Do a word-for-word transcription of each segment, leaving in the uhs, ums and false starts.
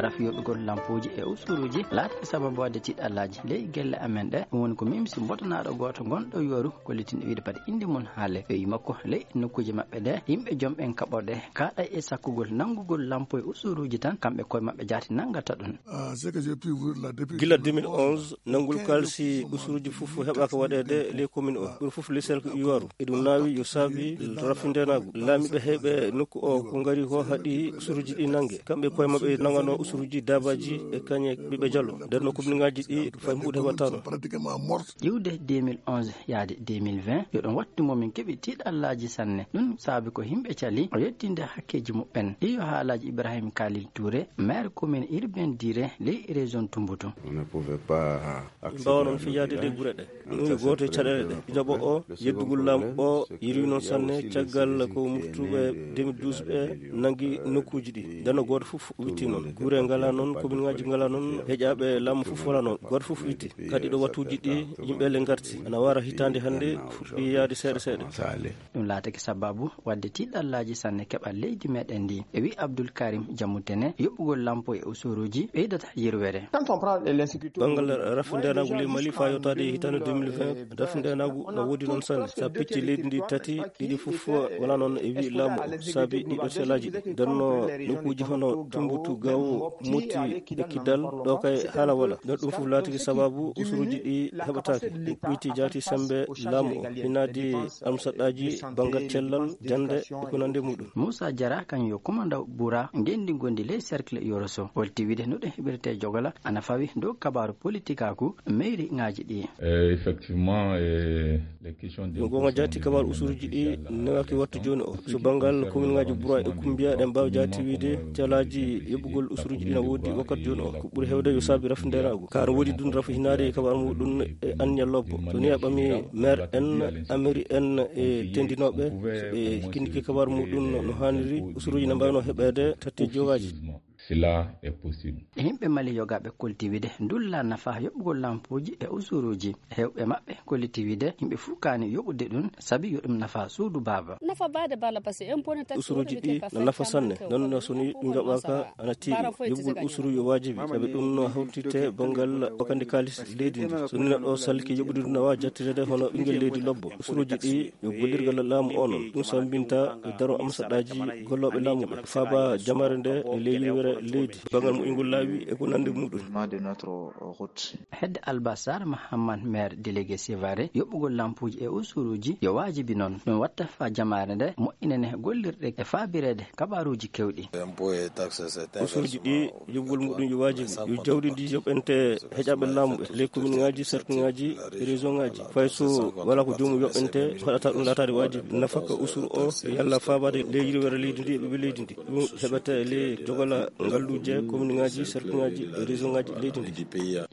Rafi yoɓugol lampooji e usuruuji laatake sababu waɗde tiiɗallaaji ley gelle amen ɗe. Ɗum woni ko Mimsi Mbotanaaɗo gooto gonɗo Yooru, kollitinɗo wiyde pati innde mum haale. Ɓe wi makko ley nokkuuji maɓɓe ɗe, yimɓe joom ɓen kaɓorɗe kaaɗa e sakkugol nanngugol lampo e usuruuji tan, kamɓe koye maɓɓe jaati nanngata ɗum. Ah, ce que j'ai pu voir la depuis Gila deux mille onze, nanngol kaalisi usuruuji fof heɓaaka waɗeede ley commune o. Ɓuri fof ley cercle Yooru. E ɗum naawi yo saabi rafi ndeenaagu. Laamiiɓe heɓe nokku o ko ngari ko haɗi usuruuji ɗi nannge. Kamɓe koye maɓɓe nanngano usuruuji daabaaji e kañe ɓiɓɓe jalo. Nder no commune ŋaaji ɗi fay mbuuɗe heɓataano. Pratiquement morte. Iwde deux mille onze yaade deux mille vingt, yo ɗum wattu mo min keɓi tiiɗallaaji sanne. Ɗum saabi ko yimɓe cali o yettinde hakkeeji muɓɓen. Iyo haalaaji Ibrahim Khalil Touré, maire commune urbaine Diri, ley région Tombouctou. On ne pouvait pas Ɓe mbaawa noon fiyaade ɗe gure ɗe. Ɗum e gooto e caɗeele ɗe. Jaɓo o, yeddugol laamu o, yirwi noon sanne caggal ko moftuɓe deux mille douze ɓe nanngi nokkuuji ɗi. Nden no gooto fof witti noon. Gure ngalaa noon, commune ŋaaji ngalaa noon, heƴaaɓe laamu fof walaa noon. Gooto fof witti. Kadi ɗo wattuuji ɗi, yimɓe le ngarti. Ana wara hitaande hannde, fuɗɗi yaade seeɗa seeɗa. Ɗum laatake sababu waɗde tiiɗallaaji sanne keɓal leydi meɗen ndi. E wi Abdoul Karim Diamoutene, yoɓugol lampo e usuruuji ɓeydata yirwere. Banngal rafi ndeenaagu ley Mali faa yottaade e hitaande deux mille vingt, rafi ndeenaagu no woodi noon sanne. Sa picci leydi ndi tati, ɗiɗi fof wonaa noon e wi laamu o, saabi ɗiɗo selaaji ɗi. Nden no nokkuuji hono Tumbutu, Gawo, Moti, e Kidal, ɗo kay haala wala. Nden ɗum fof laatiki sababu usuruuji ɗi heɓataake. Ɗum ɓuyti jaati sembe laamu o. Hinaadi almusaɗɗaaji banngal cellal, jannde, e ko nanndi e muɗum. Moussa Diarra, kañum yo kumandaw ɓura ngenndi ngondi ley cercle Yoroso. Holti wide no ɗum heɓirte jogola ana fawi dow kabaaru politikaaku mairie ŋaaji ɗi. Eh, effectivement, eh, les questions de Ɗum goonga jaati kabaaru usuruuji ɗi newaki wattu jooni o. So banngal commune ŋaaji Boura e Koumbiya ɗen mbaawi jaati wide calaaji yoɓugol usuruuji ɗi na woodi wakkati jooni o. Ko ɓuri heewde yo saabi rafi ndeenaagu. Kaa no woodi ɗum rafi hinaade e kabaaru muɗum e anniya lobbo. So ni a ɓami maire en, amiri en e tendinooɓe, so ɓe kinnike kabaaru muɗum no haaniri, usuruuji na mbaawno heɓeede tatti jogaaji. Cela est possible. E yimɓe Mali yogaaɓe kolti wide ndulla nafa yoɓugol lampuuji e usuruuji. Heewɓe maɓɓe kolliti wide yimɓe fuu kaani yoɓude ɗum sabi yo ɗum nafa suudu baaba. Usuruuji ɗi na nafa sanne, noon no so ni ɗum yoɓaaka ana tiiɗi. Yoɓugol usuru yo waajibi, sabi ɗum no hawtite banngal wakande kaalis leydi ndi. So ni neɗɗo salki yoɓude ɗum na waawi jattirede hono ɓinngel leydi lobbo. Usuruuji ɗi yo gollirgal laamu o noon. Ɗum sambinta e daro amsaɗaaji gollooɓe laamu ɓe. Faaba jamaare nde e ley yirwere leydi. Banngal moƴƴingol laawi e ko nanndi muɗum. Hedde Albasar Mahamman, maire délégué Sévaré, yoɓugol lampuuji e usuruuji yo waajibi noon. Ɗum watta faa jamaare nde moƴƴinane gollirɗe e faabireede kabaaruuji kewɗi. Usuruuji ɗi yoɓugol muɗum yo waajibi. Yo jawdi ndi yoɓente heƴaaɓe laamu ɓe, ley commune ŋaaji, cercle ŋaaji, région ŋaaji. Fay so walaa ko joomum yoɓente, haɗata ɗum laataade waajibi. Nafaka usuru o yalla faabaade ley yirwere leydi ndi e ɓiɓɓe leydi ndi. Ɗum heɓete ley jogola ngalluuje, commune ŋaaji, cercle ŋaaji, région ŋaaji leydi ndi.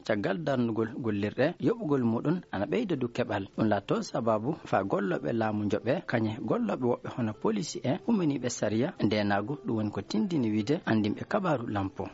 Caggal darnugol gollirɗe, yoɓugol muɗum ana ɓeyda du keɓal. Ɗum laatoo sababu faa gollooɓe laamu njoɓe kañe gollooɓe woɓɓe hono polisi en, umminiiɓe sariya, ndeenaagu, ɗum woni ko tindini wide anndinɓe kabaaru lampo.